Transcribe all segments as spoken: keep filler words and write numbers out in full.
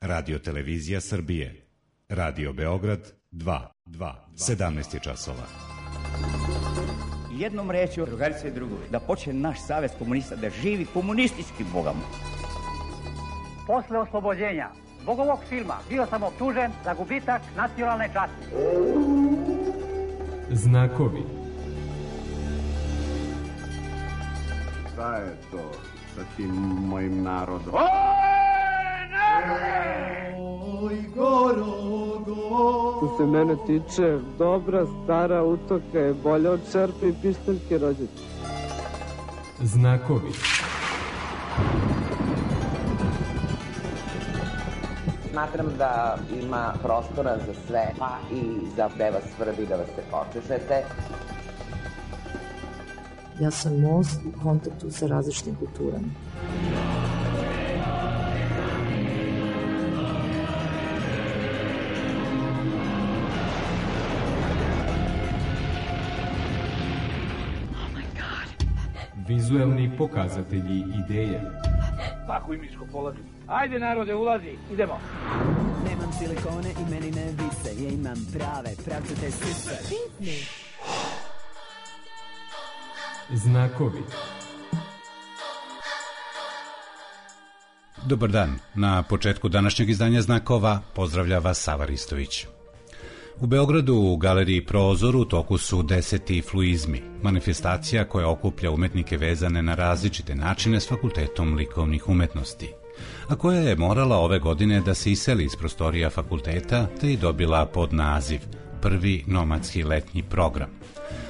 Radio Televizija Srbije. Radio Beograd dva. sedamnaest je časova. Jednom rečju, drugarice i drugovi, da počne naš savez komunista da živi komunistički, Boga mu. Posle oslobođenja zbog ovog filma bio sam optužen za gubitak nacionalne časti. Znakovi. Šta je to sa tim mojim narodom? Oj, goro, goro. Što se mene tiče, dobra stara utoka je bolja od čerpe i pištaljke rođete. Znakovi. Smatram da ima prostora za sve, pa i za da vas svrbi da vas se počešete. Ja sam most u kontaktu sa različitim kulturama. Vizuelni pokazatelji ideje. Tako i miško polazi. Ajde narode, ulazi, idemo. Nemam silikone i meni ne vise, ja imam prave, pravcate sise. Pitni. Znakovi. Dobar dan. Na početku današnjeg izdanja Znakova pozdravlja vas Sava Ristović. U Beogradu u galeriji Prozor u toku su deseti fluizmi, manifestacija koja okuplja umetnike vezane na različite načine s Fakultetom likovnih umetnosti, a koja je morala ove godine da se iseli iz prostorija fakulteta te i dobila pod naziv Prvi nomadski letnji program,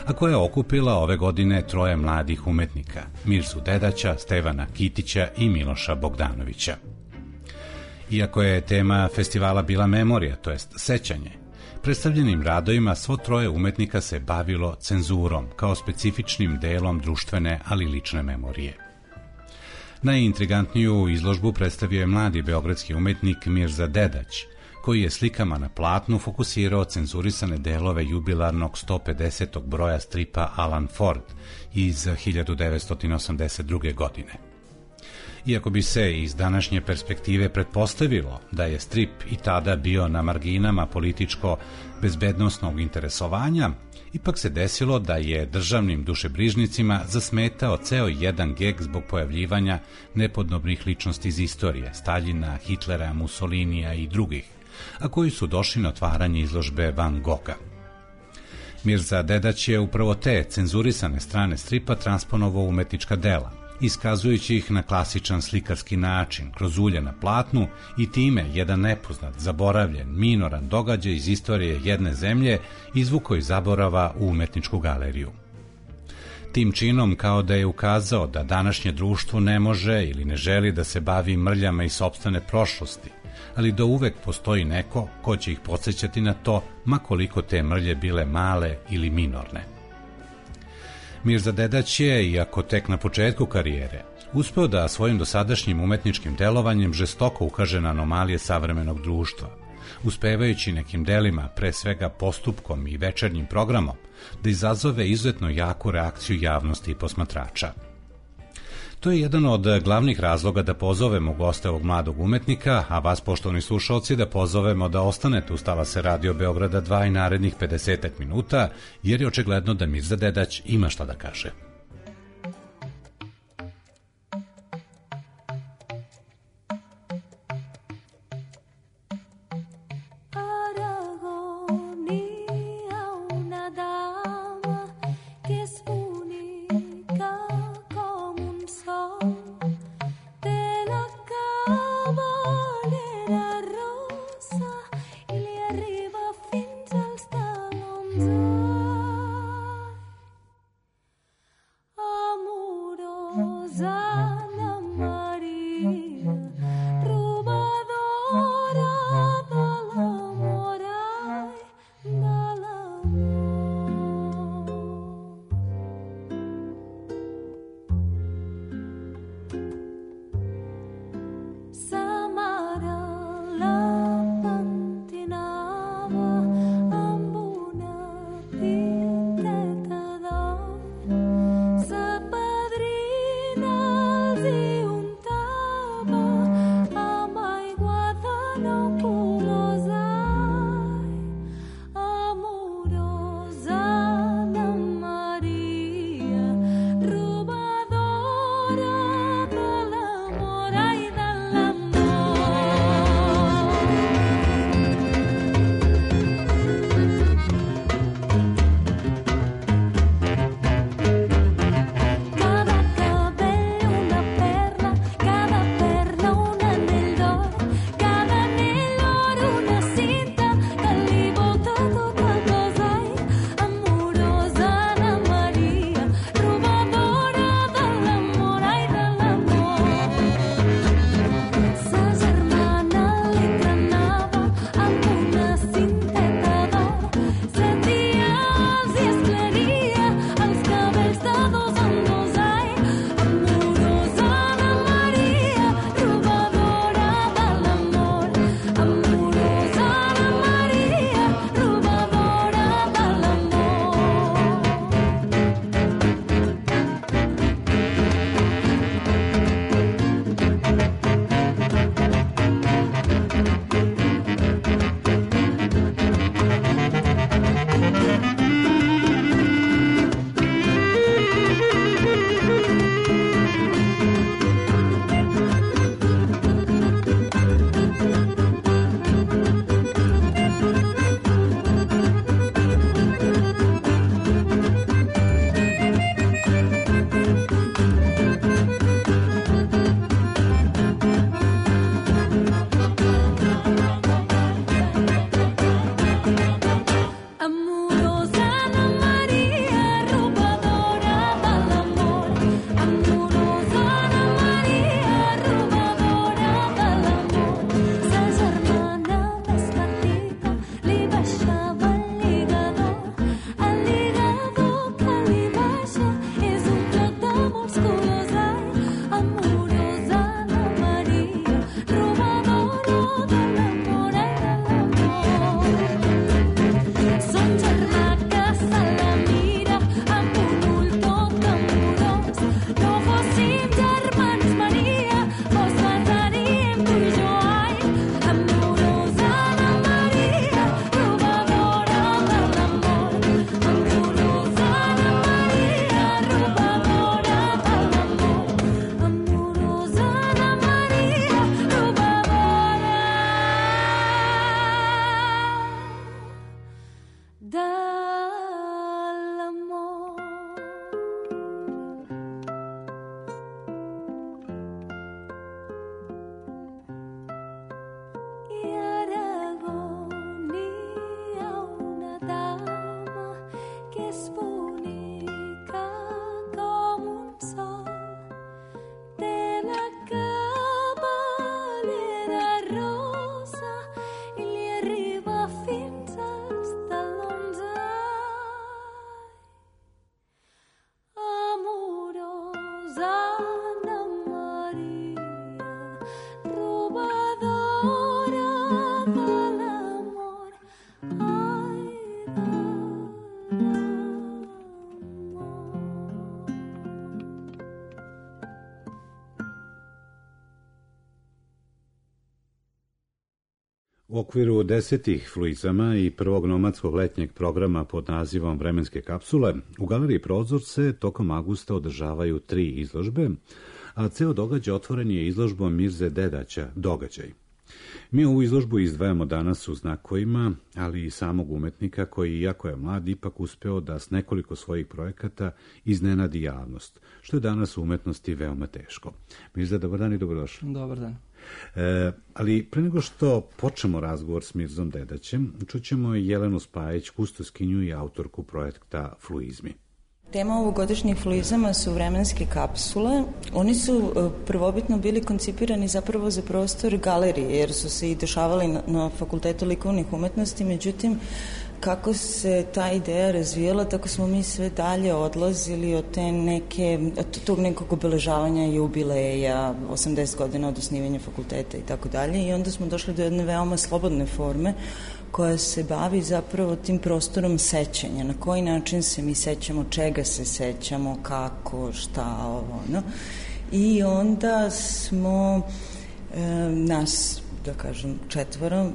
a koja je okupila ove godine troje mladih umetnika, Mirzu Dedaća, Stevana Kitića i Miloša Bogdanovića. Iako je tema festivala bila memorija, to jest sećanje, predstavljenim radovima svo troje umetnika se bavilo cenzurom kao specifičnim delom društvene, ali lične memorije. Najintrigantniju izložbu predstavio je mladi beogradski umetnik Mirza Dedać, koji je slikama na platnu fokusirao cenzurisane delove jubilarnog sto pedesetog broja stripa Alan Ford iz hiljadu devetsto osamdeset druge. godine. Iako bi se iz današnje perspektive pretpostavilo da je strip i tada bio na marginama političko-bezbednosnog interesovanja, ipak se desilo da je državnim dušebrižnicima zasmetao ceo jedan geg zbog pojavljivanja nepodobnih ličnosti iz istorije, Staljina, Hitlera, Mussolinija i drugih, a koji su došli na otvaranje izložbe Van Gogha. Mirza Dedać je upravo te cenzurisane strane stripa transponovao umetnička dela, iskazujući ih na klasičan slikarski način, kroz ulje na platnu i time jedan nepoznat, zaboravljen, minoran događaj iz istorije jedne zemlje izvukao iz zaborava u umetničku galeriju. Tim činom kao da je ukazao da današnje društvo ne može ili ne želi da se bavi mrljama iz sopstvene prošlosti, ali da uvek postoji neko ko će ih podsjećati na to, ma koliko te mrlje bile male ili minorne. Mirza Dedać je, iako tek na početku karijere, uspeo da svojim dosadašnjim umetničkim delovanjem žestoko ukaže na anomalije savremenog društva, uspevajući nekim delima, pre svega postupkom i večernjim programom, da izazove izuzetno jaku reakciju javnosti i posmatrača. To je jedan od glavnih razloga da pozovemo goste ovog mladog umetnika, a vas, poštovani slušalci, da pozovemo da ostanete uz talase Radio Beograda dva i narednih pedesetak minuta, jer je očigledno da Mirza Dedać ima šta da kaže. U okviru desetih fluizama i prvog nomadskog letnjeg programa pod nazivom Vremenske kapsule, u Galeriji Prozorce tokom avgusta održavaju tri izložbe, a ceo događaj otvoren je izložbom Mirze Dedaća, Događaj. Mi ovu izložbu izdvajamo danas u znakovima, ali i samog umetnika koji, iako je mlad, ipak uspeo da s nekoliko svojih projekata iznenadi javnost, što je danas u umetnosti veoma teško. Mirza, dobar dan i dobrodošli. Dobar dan. E, ali pre nego što počnemo razgovor s Mirzom Dedaćem, čućemo Jelenu Spajić, kustoskinju i autorku projekta Fluizmi. Tema ovogodišnjih fluizama su vremenske kapsule. Oni su prvobitno bili koncipirani zapravo za prostor galerije, jer su se i dešavali na, na Fakultetu likovnih umetnosti, međutim, kako se ta ideja razvijala, tako smo mi sve dalje odlazili od te neke, od tog nekog obeležavanja jubileja, osamdeset godina od osnivanja fakulteta i tako dalje, i onda smo došli do jedne veoma slobodne forme koja se bavi zapravo tim prostorom sećanja, na koji način se mi sećamo, čega se sećamo, kako, šta, ovo, no. I onda smo e, nas da kažem, četvoro,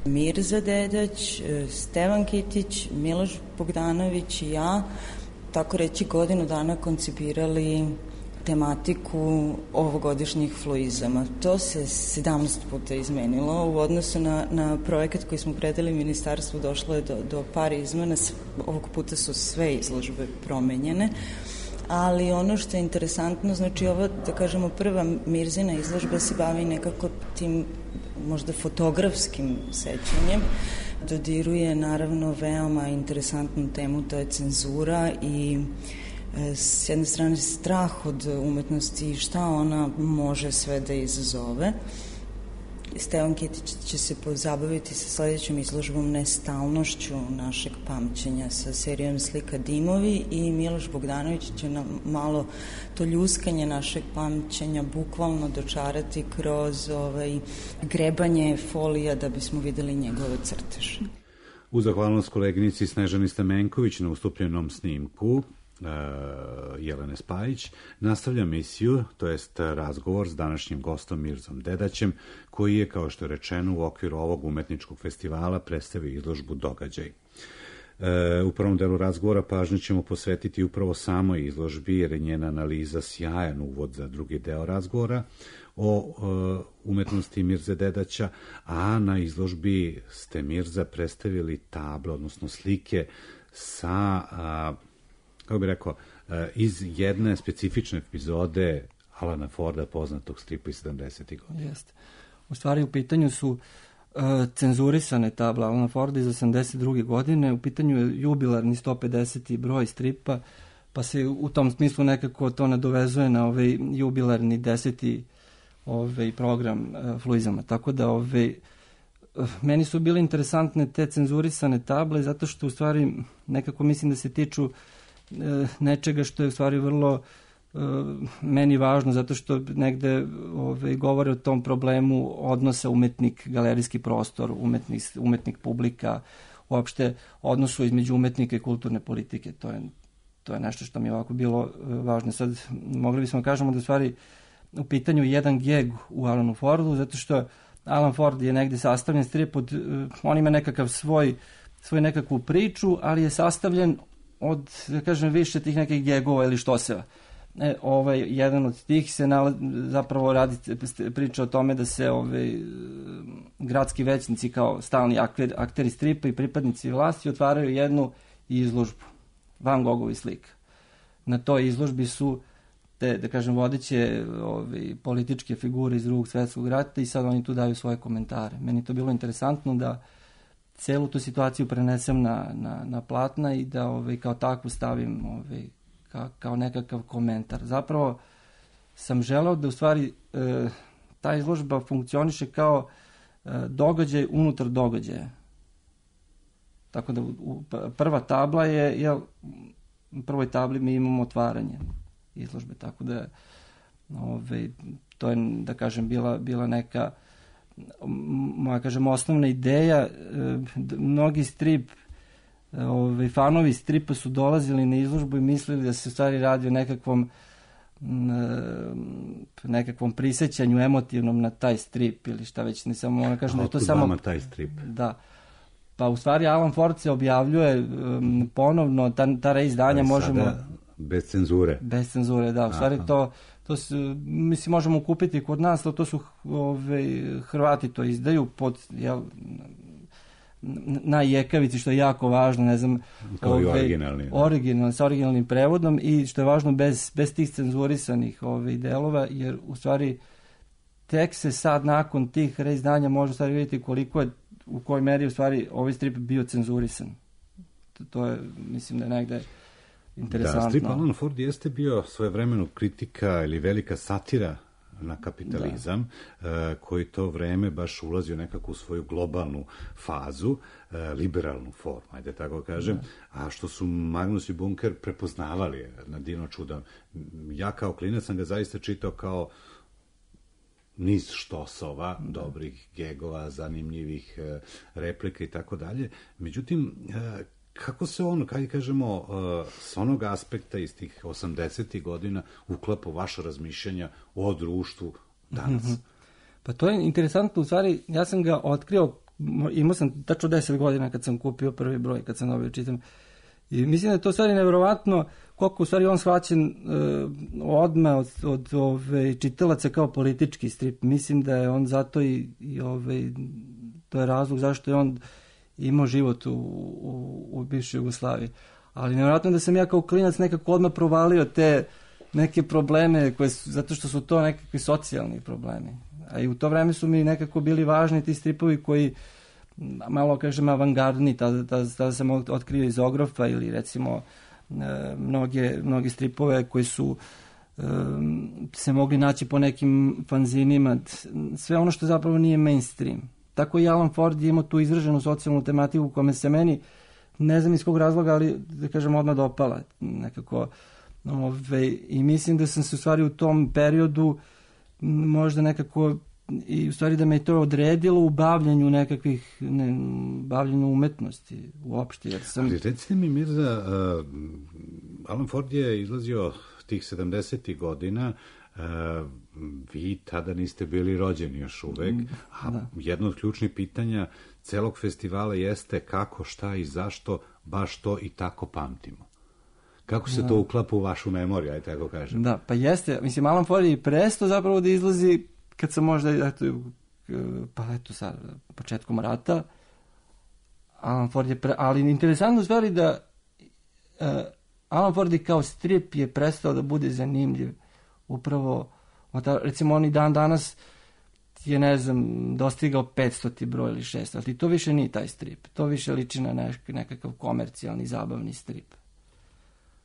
Mirza Dedać, Stevan Kitić, Miloš Bogdanović i ja, tako reći godinu dana koncipirali tematiku ovogodišnjih fluizama. To se sedamnaest puta izmenilo. U odnosu na, na projekat koji smo predali ministarstvu došlo je do, do par izmena. Ovog puta su sve izložbe promenjene. Ali ono što je interesantno, znači ovo, da kažemo, prva Mirzina izložba se bavi nekako tim možda fotografskim sećanjem. Dodiruje naravno veoma interesantnu temu, to je cenzura i s jedne strane strah od umetnosti i šta ona može sve da izazove. Stevan Kitić će se pozabaviti sa sledećom izložbom nestalnošću našeg pamćenja sa serijom slika Dimovi i Miloš Bogdanović će nam malo to ljuskanje našeg pamćenja bukvalno dočarati kroz ovaj, grebanje folija da bismo videli njegove crteže. U zahvalnost koleginici Snežani Stamenković na ustupljenom snimku Jelene Spajić, nastavlja misiju, to jest razgovor s današnjim gostom Mirzom Dedaćem, koji je, kao što je rečeno, u okviru ovog umetničkog festivala predstavio izložbu Događaj. E, u prvom delu razgovora pažnju ćemo posvetiti upravo samoj izložbi, jer je njena analiza sjajan uvod za drugi deo razgovora o e, umetnosti Mirze Dedaća, a na izložbi ste, Mirza, predstavili table, odnosno slike sa a, kako bih rekao, iz jedne specifične epizode Alana Forda, poznatog stripa iz sedamdesetih godina. Jeste. U stvari u pitanju su uh, cenzurisane table Alana Forda iz osamdeset druge godine, u pitanju je jubilarni sto pedeseti broj stripa, pa se u tom smislu nekako to nadovezuje na ovaj jubilarni deseti ovaj program uh, fluizama. Tako da ovaj, uh, meni su bile interesantne te cenzurisane table, zato što u stvari nekako mislim da se tiču nečega što je u stvari vrlo uh, meni važno, zato što negde ove, govore o tom problemu odnosa umetnik, galerijski prostor, umetnik, umetnik publika, uopšte odnosu između umetnika i kulturne politike. To je, to je nešto što mi je ovako bilo uh, važno. Sad mogli bismo kažemo da u stvari u pitanju jedan geg u Alanu Fordu, zato što Alan Ford je negde sastavljen strip od, uh, on ima nekakav svoj, svoj nekakvu priču, ali je sastavljen od, da kažem, više tih nekih gegova ili štoseva. E, ovaj, jedan od tih se nalaz, zapravo radi priča o tome da se ovaj, gradski većnici kao stalni akter, akteri stripa i pripadnici vlasti otvaraju jednu izložbu Van Gogovi slika. Na toj izložbi su te, da kažem, vodeće ovaj, političke figure iz Drugog svetskog rata i sad oni tu daju svoje komentare. Meni to bilo interesantno da celu tu situaciju prenesem na, na, na platna i da ovaj, kao takvu stavim ovaj, ka, kao nekakav komentar. Zapravo sam želeo da u stvari e, ta izložba funkcioniše kao e, događaj unutar događaja. Tako da u, prva tabla je, jel, u prvoj tabli mi imamo otvaranje izložbe, tako da ovaj, to je, da kažem, bila, bila neka moja, kažem, osnovna ideja. Mnogi strip, ove, fanovi stripa su dolazili na izložbu i mislili da se u stvari radi o nekakvom nekakvom prisećanju emotivnom na taj strip ili šta već, ne samo ona kažem da je to samo taj strip. Da. Pa u stvari Alan Ford se objavljuje um, ponovno, ta, ta reizdanja možemo... Bez cenzure. Bez cenzure, da. U stvari Aha. to to se, mislim, možemo kupiti kod nas, ali to su ove, Hrvati to izdaju pod, jel, na jekavici, što je jako važno, ne znam, kao ove, i originalni, original, sa originalnim prevodom i što je važno bez, bez tih cenzurisanih ove, delova, jer u stvari tek se sad nakon tih reizdanja može stvari vidjeti koliko je, u kojoj meri u stvari ovaj strip bio cenzurisan. To, to je, mislim da je negde interesantno. Da, strip Alan Ford jeste bio svojevremeno kritika ili velika satira na kapitalizam, da. koji to vreme baš ulazi u nekakvu svoju globalnu fazu, liberalnu formu, ajde tako kažem, da. A što su Magnus i Bunker prepoznavali na divno čudo. Ja kao klinac sam ga zaista čitao kao niz štosova, da. Dobrih gegova, zanimljivih replika i tako dalje. Međutim, kako se on, kada kažemo, s onog aspekta iz tih osamdesetih godina uklapa vaša razmišljanja o društvu danas? Pa to je interesantno, u stvari, ja sam ga otkrio, imao sam tačno deset godina kad sam kupio prvi broj, kad sam dobio čitam. I mislim da je to u stvari nevjerovatno koliko u stvari on shvaćen uh, odmah od, od ove, čitalaca kao politički strip. Mislim da je on zato i, i ove, to je razlog zašto je on imao život u, u, u bivšoj Jugoslaviji. Ali nevjerojatno da sam ja kao klinac nekako odmah provalio te neke probleme, koje su, zato što su to nekakvi socijalni problemi. A i u to vreme su mi nekako bili važni ti stripovi koji, malo kažem avangardni, tada, tada, tada sam otkrio iz Ogrofa ili recimo e, mnoge, mnoge stripove koji su e, se mogli naći po nekim fanzinima, sve ono što zapravo nije mainstream. Tako i Alan Ford je imao tu izraženu socijalnu tematiku koja me se meni, ne znam iz kog razloga, ali da kažem odmah dopala nekako. Ove, I mislim da sam se u stvari u tom periodu možda nekako i u stvari da me to odredilo u bavljanju nekakvih, ne, bavljanju umetnosti uopšte. Jer sam... Ali recite mi, Mirza, uh, Alan Ford je izlazio tih sedamdesetih godina, uh, vi tada niste bili rođeni još uvek, a da. Jedno od ključnih pitanja celog festivala jeste kako, šta i zašto baš to i tako pamtimo. Kako se da. To uklapa u vašu memoriju, aj tako kažem? Da, pa jeste. Mislim, Alan Ford je prestao zapravo da izlazi kad sam možda, eto, pa eto sad, početkom rata, Alan Ford je pre... Ali interesantno stvari da uh, Alan Ford je kao strip je prestao da bude zanimljiv. Upravo, recimo, on i dan danas je, ne znam, dostigao petstoti broj ili šest, ali to više nije taj strip. To više liči na nek- nekakav komercijalni, zabavni strip.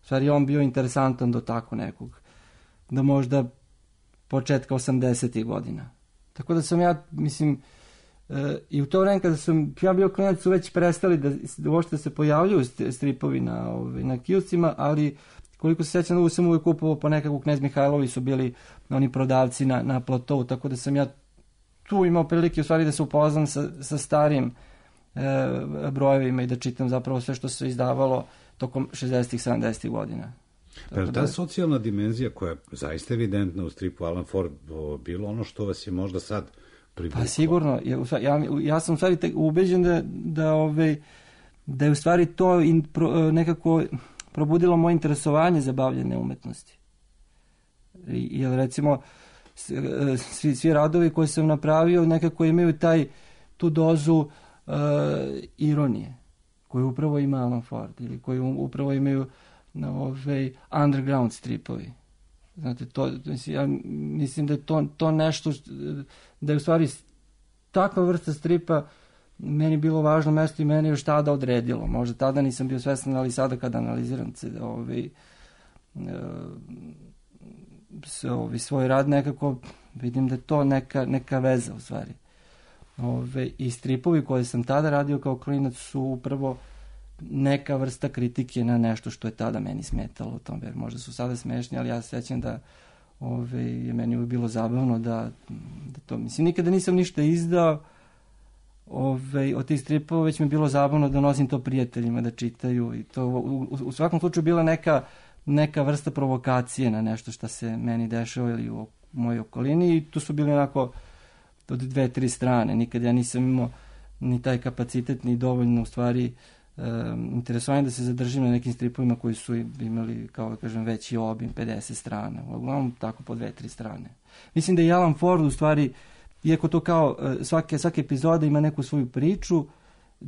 U stvari, on bio interesantan do tako nekog, da možda početka osamdesetih godina. Tako da sam ja, mislim, e, i u to vreme kada sam ja bio klinac su već prestali da, da uopšte se pojavljuju stripovi na, ove, na kioscima, ali koliko se sjećam da sam uvijek kupovao po nekakvu Knez Mihajlovi su bili oni prodavci na, na platovu, tako da sam ja tu imao prilike u stvari da se upoznam sa, sa starim e, brojevima i da čitam zapravo sve što se izdavalo tokom šezdesetih, sedamdesetih godina. Pa ta socijalna dimenzija koja je zaista evidentna u stripu Alan Ford bilo ono što vas je možda sad privuklo? Pa sigurno. Ja, ja sam u stvari ubeđen da, da, ove, da je u stvari to in, pro, nekako probudilo moje interesovanje za bavljanje umetnosti. Jer recimo svi, svi radovi koje sam napravio nekako imaju taj, tu dozu uh, ironije koju upravo ima Alan Ford ili koju upravo imaju na ove underground stripovi. Znate, to, ja mislim da je to, to nešto, da je u stvari takva vrsta stripa meni bilo važno mesto i meni još tada odredilo. Možda tada nisam bio svestan, ali sada kada analiziram ove, ove, svoj rad nekako vidim da je to neka, neka veza u stvari. Ove, I stripovi koje sam tada radio kao klinac su upravo neka vrsta kritike na nešto što je tada meni smetalo u tom, jer možda su sada smešni, ali ja se sjećam da ove, je meni uvijek bilo zabavno da, da to, mislim, nikada nisam ništa izdao ove, od tih stripova, već mi je bilo zabavno da nosim to prijateljima da čitaju i to u, u, u svakom slučaju bila neka, neka vrsta provokacije na nešto što se meni dešava ili u mojoj okolini i tu su bili onako od dve, tri strane, nikad ja nisam imao ni taj kapacitet, ni dovoljno u stvari Um, interesovanje da se zadržim na nekim stripovima koji su imali, kao da kažem, veći obim, pedeset strana, uglavnom tako po dve, tri strane. Mislim da je Alan Ford u stvari, iako to kao svake, svake epizoda ima neku svoju priču,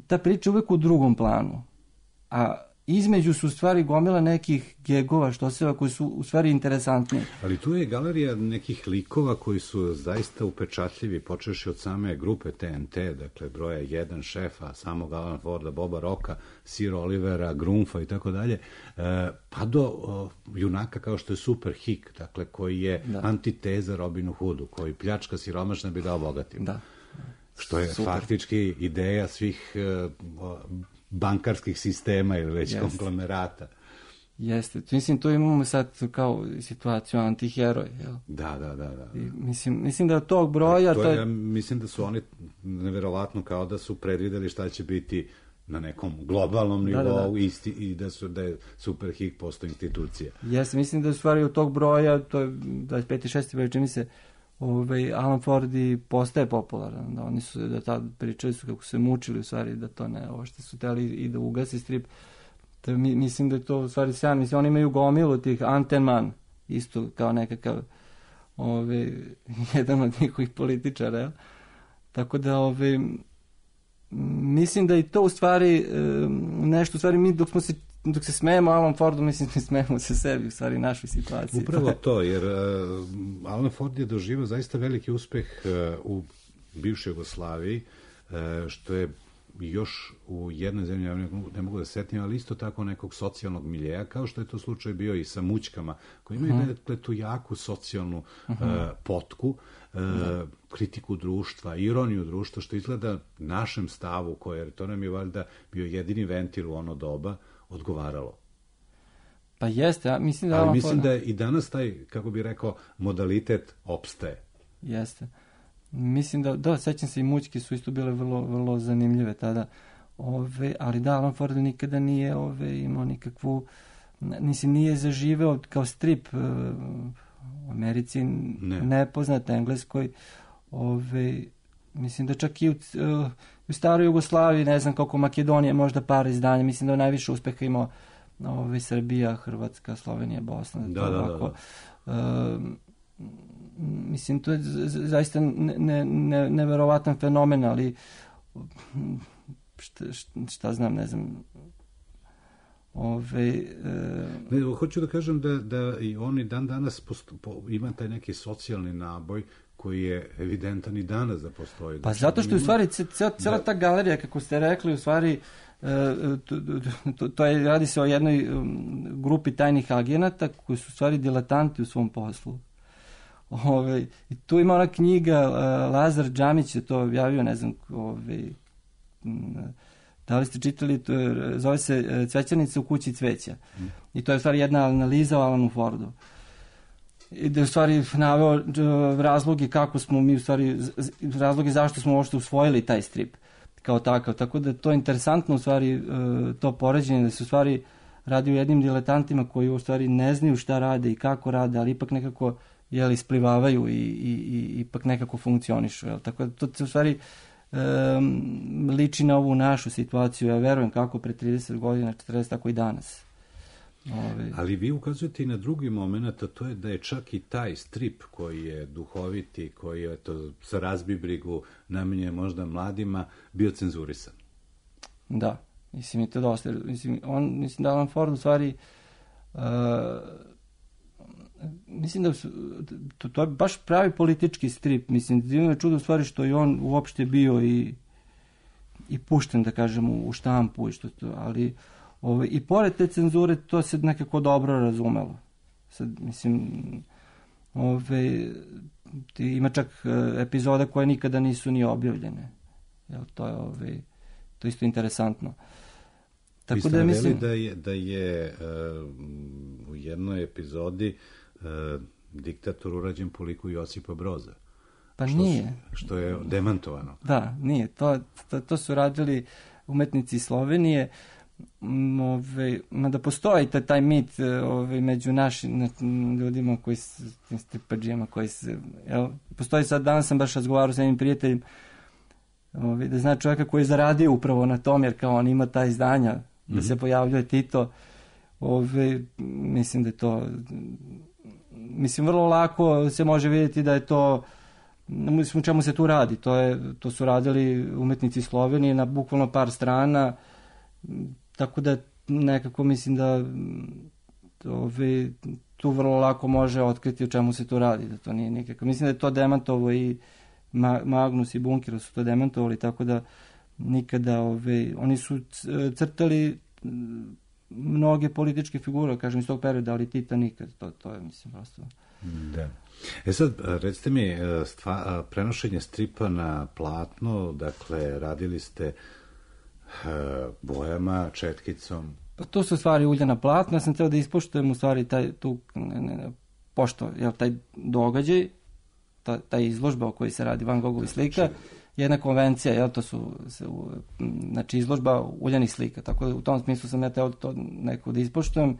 ta priča je uvijek u drugom planu, a između su u stvari gomila nekih gegova, što se koji su u stvari interesantni. Ali tu je galerija nekih likova koji su zaista upečatljivi, počeši od same grupe T N T, dakle broja jedan, Šefa, samog Alan Forda, Boba Rocka, Sir Olivera, Grunfa i tako dalje, pa do o, junaka kao što je Super Hick, dakle koji je da. Antiteza Robinu Hoodu, koji pljačka siromašne bi dao bogatim. Da. Što je Super. Faktički ideja svih o, bankarskih sistema ili već Jeste. Konglomerata. Jeste. Mislim, tu imamo sad kao situaciju antiheroj. Jel? Da, da, da. da. I mislim, mislim da od tog broja... To je, to je... Ja mislim da su oni neverovatno kao da su predvideli šta će biti na nekom globalnom nivou da, da, da. Isti, i da, su, da je Super Hick posto institucija. Jeste. Mislim da u stvari od tog broja, to je dvadeset peti šesti broj, čini se, ovaj, Alan Ford i postaje popularan, da oni su, da tad pričali su kako su se mučili u stvari, da to ne, ovo što su teli i da ugasi strip. Da, mi, mislim da je to u stvari sjajno, mislim, oni imaju gomilu tih Antenman, isto kao nekakav ovaj, jedan od njihovih političara, jel? Tako da, ovaj, mislim da i to u stvari nešto, u stvari mi dok smo se dok se smejemo Alan Fordu, mislim da smejemo se sebi, u stvari našoj situaciji. Upravo to, jer uh, Alan Ford je doživao zaista veliki uspeh uh, u bivšoj Jugoslaviji, uh, što je još u jednoj zemlji, ja ne, ne mogu da setim, ali isto tako nekog socijalnog miljeja, kao što je to slučaj bio i sa Mućkama, koji imaju uh-huh. dakle, tu jaku socijalnu uh-huh. uh, potku, uh, uh-huh. kritiku društva, ironiju društva, što izgleda našem stavu, koje, to nam je valjda bio jedini ventil u ono doba, odgovaralo. Pa jeste, ja mislim da... Ali mislim da i danas taj, kako bi rekao, modalitet opstaje. Jeste. Mislim da, da, sećam se i Mućke su isto bile vrlo, vrlo zanimljive tada. Ove, ali da, Alan Ford nikada nije ove, imao nikakvu... Nisi, nije zaživeo kao strip u Americi, ne. nepoznat, Engleskoj. Ove, mislim da čak i u, u staroj Jugoslaviji, ne znam koliko Makedonije, možda par izdanja, mislim da je najviše uspeha imao ove, Srbija, Hrvatska, Slovenija, Bosna. Da, da, da, da. Uh, mislim, to je zaista ne, ne, neverovatan fenomen, ali šta, šta znam, ne znam, Ove, e... ne, hoću da kažem da, da i oni dan danas posto, po, ima taj neki socijalni naboj koji je evidentan i danas da postoji. Pa zato što je u stvari cijela ta galerija, kako ste rekli, u stvari to, to, to je, radi se o jednoj grupi tajnih agenata koji su u stvari diletanti u svom poslu. Ove, i tu ima ona knjiga, Lazar Džamić je to objavio, ne znam, ove, da li ste čitali, to je, zove se Cvećarnica u kući cveća. Mm. I to je u stvari jedna analiza o Alanu Fordu. I da je u stvari naveo razloge kako smo mi u stvari, razloge zašto smo uopšte usvojili taj strip kao takav. Tako da to je interesantno u stvari to poređenje, da se u stvari radi o jednim diletantima koji u stvari ne znaju šta rade i kako rade, ali ipak nekako jel, isplivavaju i, i, i ipak nekako funkcionišu. Jel. Tako da to se u stvari um, liči na ovu našu situaciju. Ja verujem kako pre trideset godina, četrdeset, tako i danas. Ove. Ali vi ukazujete i na drugi moment, a to je da je čak i taj strip koji je duhoviti, koji je to sa razbibrigu namenjen možda mladima, bio cenzurisan. Da, mislim i to dosta. Mislim, on, mislim da Alan Ford u stvari uh, mislim da su, to, to je baš pravi politički strip. Mislim, divno je čudo u stvari što je on uopšte bio i, i pušten, da kažem, u, u štampu i što to, ali Ove, i pored te cenzure to se nekako dobro razumelo. Sad, mislim, ove, ima čak epizoda koje nikada nisu ni objavljene. Jel, to je ove, to isto interesantno. Tako vi ste da mislim da je, da je uh, u jednoj epizodi uh, diktator urađen po liku Josipa Broza. Pa što, nije. Što je demantovano. Da, nije. To, to, to su radili umetnici Slovenije. Ove, mada postoji taj, taj mit ove, među našim ljudima koji su tim stripađijama koji se, jel, postoji sad, danas sam baš razgovarao sa jednim prijateljem ove, da zna čovjeka koji je zaradio upravo na tom, jer kao on ima ta izdanja mm-hmm. da se pojavljuje Tito, ove, mislim da je to mislim vrlo lako se može vidjeti da je to, mislim u čemu se tu radi, to, je, to su radili umetnici Slovenije na bukvalno par strana. Tako da nekako mislim da ove, tu vrlo lako može otkriti o čemu se tu radi, da to nije nikako. Mislim da je to demantovo i Magnus i Bunker su to demantovali, tako da nikada ove, oni su crtali mnoge političke figure, kažem iz tog perioda, ali Tita nikad, to, to je mislim prosto. Da. E sad, recite mi, stva, prenošenje stripa na platno, dakle, radili ste bojama, četkicom? Pa to su stvari uljana platna, ja sam teo da ispoštujem u stvari taj, tu, ne, ne, pošto, jel, taj događaj, ta, taj izložba o kojoj se radi Van Gogovi slika, jedna konvencija, jel, to su, se, znači, izložba uljanih slika, tako da u tom smislu sam ja teo to neko da ispoštujem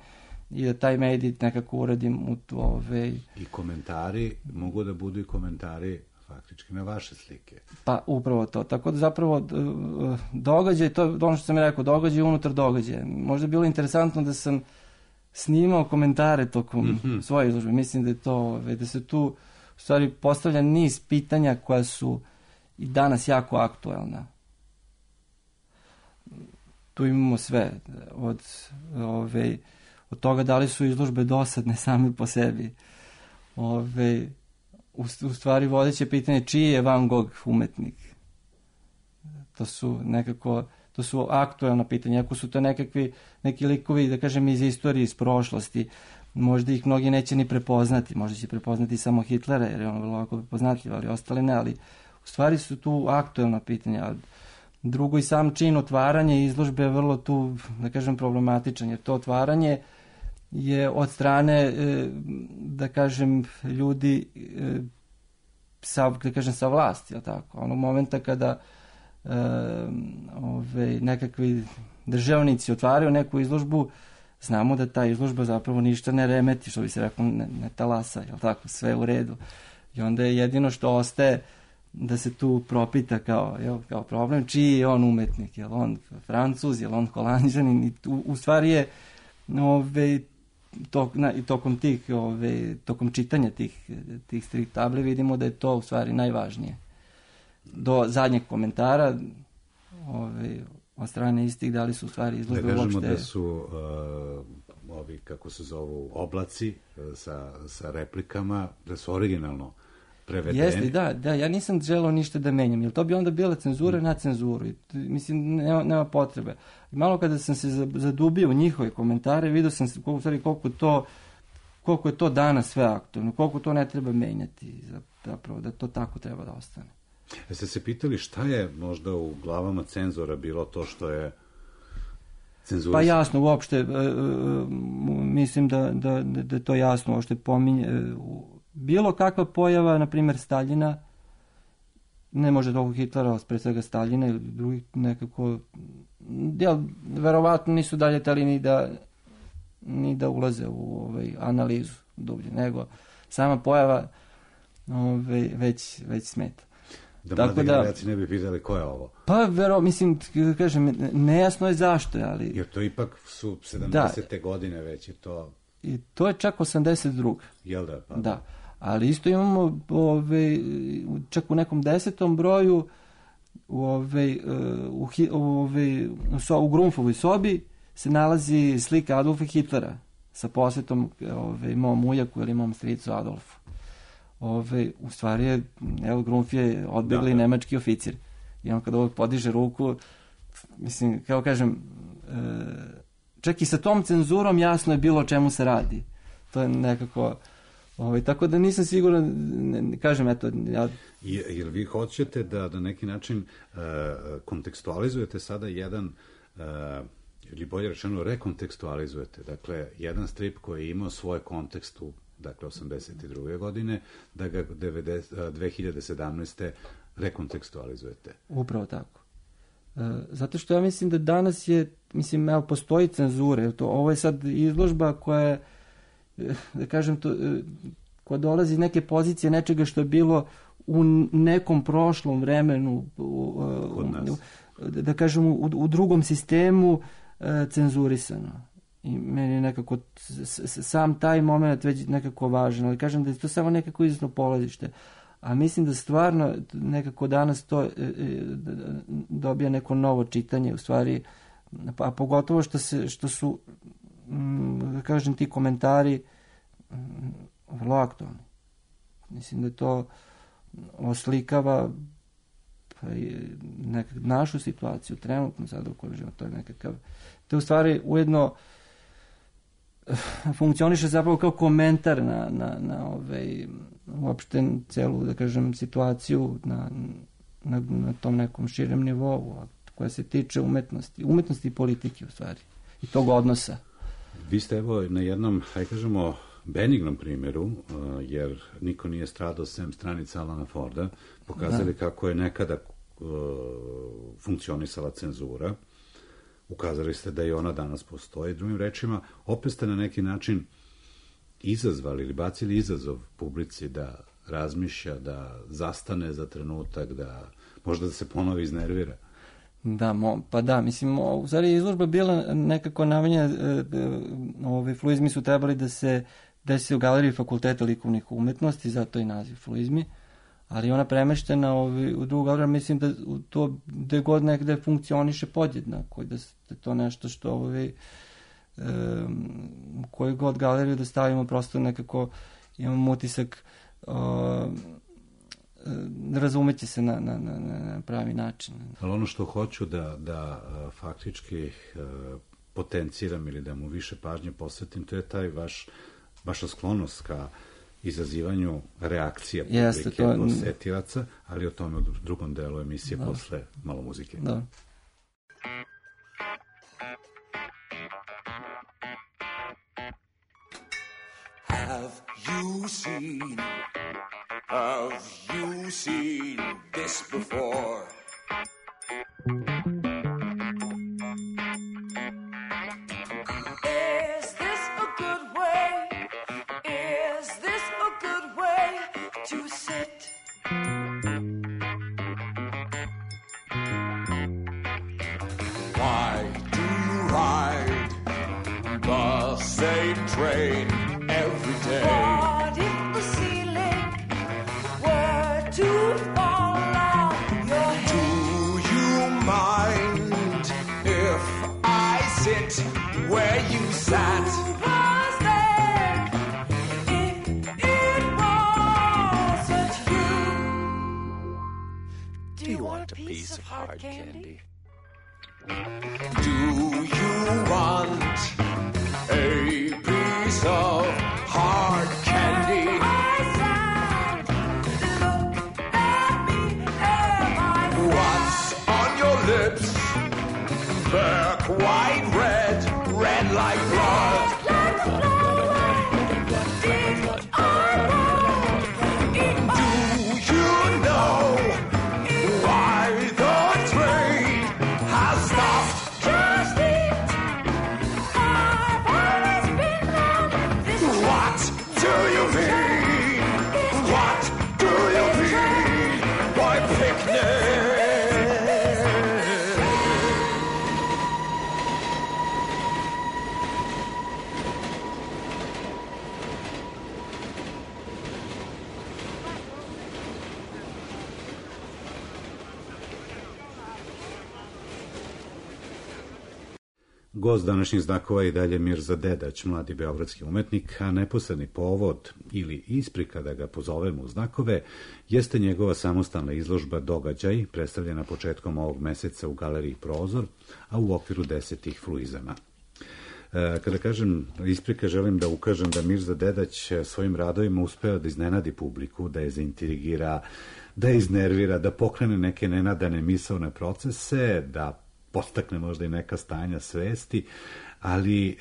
i da taj medij nekako uradim u ove... I komentari, mogu da budu i komentari faktički na vaše slike. Pa upravo to, tako da zapravo događaj, to ono što sam rekao, događaj unutar događaja. Možda je bilo interesantno da sam snimao komentare tokom mm-hmm. svoje izložbe, mislim da je to, da se tu u stvari postavlja niz pitanja koja su i danas jako aktuelna. Tu imamo sve, od, ove, od toga da li su izložbe dosadne same po sebi. Ove, u, u stvari vodeće pitanje čiji je Van Gogh umetnik. To su nekako, to su aktuelna pitanja. Ako su to nekakvi, neki likovi, da kažem, iz istorije, iz prošlosti, možda ih mnogi neće ni prepoznati. Možda će prepoznati samo Hitlera, jer je on vrlo lako prepoznatljiv, ali ostali ne. Ali u stvari su tu aktuelna pitanja. Drugo, i sam čin otvaranja izložbe je vrlo tu, da kažem, problematičan, jer to otvaranje je od strane, da kažem, ljudi sa, da kažem, sa vlasti, je li tako? Onog momenta kada e, ove, nekakvi državnici otvaraju neku izložbu, znamo da ta izložba zapravo ništa ne remeti, što bi se rekao, ne, ne talasa, je li tako? Sve je u redu. I onda je jedino što ostaje da se tu propita kao, jel, kao problem, čiji je on umetnik, je li on Francuz, je li on Holanđanin, i u, u stvari je ove, to, na, i tokom tih, ove, tokom čitanja tih, tih strip table vidimo da je to u stvari najvažnije. Do zadnjeg komentara ove, od strane istih da li su u stvari izložbe uopšte... Da kažemo uopšte... da su uh, ovi, kako se zovu, oblaci uh, sa, sa replikama, da su originalno prevedeni. Jeste, da, da, ja nisam želeo ništa da menjam, jer to bi onda bila cenzura mm. na cenzuru. I, mislim, nema, nema potrebe. I malo kada sam se zadubio u njihove komentare, vidio sam se koliko, stvari, koliko, to, koliko je to danas sve aktualno, koliko to ne treba menjati, zapravo, da to tako treba da ostane. Jeste se pitali šta je možda u glavama cenzora bilo to što je cenzurisano? Pa jasno, uopšte, e, e, mislim da, da, da je to jasno, uopšte pominje... E, bilo kakva pojava, na primjer Staljina, ne može toliko Hitlera, pre svega Staljina ili drugih nekako, jel, verovatno nisu dalje tali ni da, ni da ulaze u ovaj, analizu dublje, nego sama pojava ovaj, već, već smeta. Da mladi generacije ne bi pitali ko je ovo. Pa, vero, mislim, kažem, nejasno je zašto, ali... Jer to ipak su sedamdesete Da. godine već je to... I to je čak osamdeset druga Jel da? Pa da. Ali isto imamo ove, čak u nekom desetom broju ove, u, ove, u Grunfovoj sobi se nalazi slika Adolfa Hitlera sa posvetom ove, mom ujaku ili mom stricu Adolfu. Ove, u stvari je, evo, Grunf je odbegli da, da. nemački oficir. I on kada ovo podiže ruku, mislim, kao kažem, e, čak i sa tom cenzurom jasno je bilo o čemu se radi. To je nekako... Ovaj, tako da nisam siguran, ne, ne, kažem, eto... Ja... Je, jer vi hoćete da na neki način uh, kontekstualizujete sada jedan, uh, ili bolje rečeno rekontekstualizujete, dakle, jedan strip koji je imao svoj kontekst u, dakle, osamdeset druge godine, da ga dve hiljade sedamnaeste rekontekstualizujete. Upravo tako. Uh, zato što ja mislim da danas je, mislim, evo, postoji cenzura, to, ovo je sad izložba koja je, da kažem, to, koja dolazi iz neke pozicije nečega što je bilo u nekom prošlom vremenu, u, u, da kažem, u, u drugom sistemu e, cenzurisano. I meni je nekako sam taj moment već nekako važan, ali kažem da je to samo nekako izvesno polazište. A mislim da stvarno nekako danas to e, dobija neko novo čitanje, u stvari, a pogotovo što, se, što su, da kažem, ti komentari vrlo aktualni. Mislim da to oslikava nekak, našu situaciju, trenutno sada u kojoj živimo, to je nekakav, to je u stvari ujedno funkcioniše zapravo kao komentar na, na, na ovaj, uopšte celu, da kažem, situaciju na, na, na tom nekom širem nivou, koja se tiče umetnosti, umetnosti i politike u stvari, i tog odnosa. Vi ste evo na jednom, hajde kažemo, benignom primjeru, jer niko nije stradao sem stranica Alana Forda, pokazali da. kako je nekada uh, funkcionisala cenzura ukazali ste da i ona danas postoji. Drugim rečima, opet ste na neki način izazvali ili bacili izazov publici da razmišlja, da zastane za trenutak, da možda da se ponovo iznervira. Da, mo, pa da, mislim, u stvari je izložba bila nekako namenjena, e, ove fluizmi su trebali da se desi u galeriji Fakulteta likovnih umetnosti, zato i naziv fluizmi, ali ona premeštena ovi, u drugu galeriju, mislim da to gde god nekde funkcioniše podjednako, da je to nešto što ovi, e, koju god galeriju da stavimo, prosto nekako imam utisak o, razumeće se na, na, na, na pravi način. Ali ono što hoću da, da faktički potenciram ili da mu više pažnje posvetim, to je taj vaš, vaša sklonost ka izazivanju reakcija publike, Jeste, to... posetilaca, ali o tome u drugom delu emisije da. Posle malo muzike. Da. Have you seen Have you seen this before? Is this a good way? Is this a good way to sit? Why do you ride the same train every day? What if the ceiling were to fall on your head? Do you mind if I sit where you sat? Who was there if it wasn't you? Do you want a piece of hard candy? Do you want a piece of hard candy? I said, look at me, am I sad? What's on your lips? They're quite red, red like blood. Red like blood. Did I know? Do you know why the train has stopped? Just eat. I've always been on this. What do you mean? What do you mean by picnic? Gost današnjih znakova je i dalje Mirza Dedać, mladi beogradski umetnik, a neposredni povod ili isprika da ga pozovemo u znakove jeste njegova samostalna izložba Događaj, predstavljena početkom ovog meseca u galeriji Prozor, a u okviru desetih fluizama. Kada kažem isprika, želim da ukažem da Mirza Dedać svojim radovima uspeo da iznenadi publiku, da je zaintrigira, da je iznervira, da pokrene neke nenadane misaone procese, da podstakne možda i neka stanja svesti, ali e,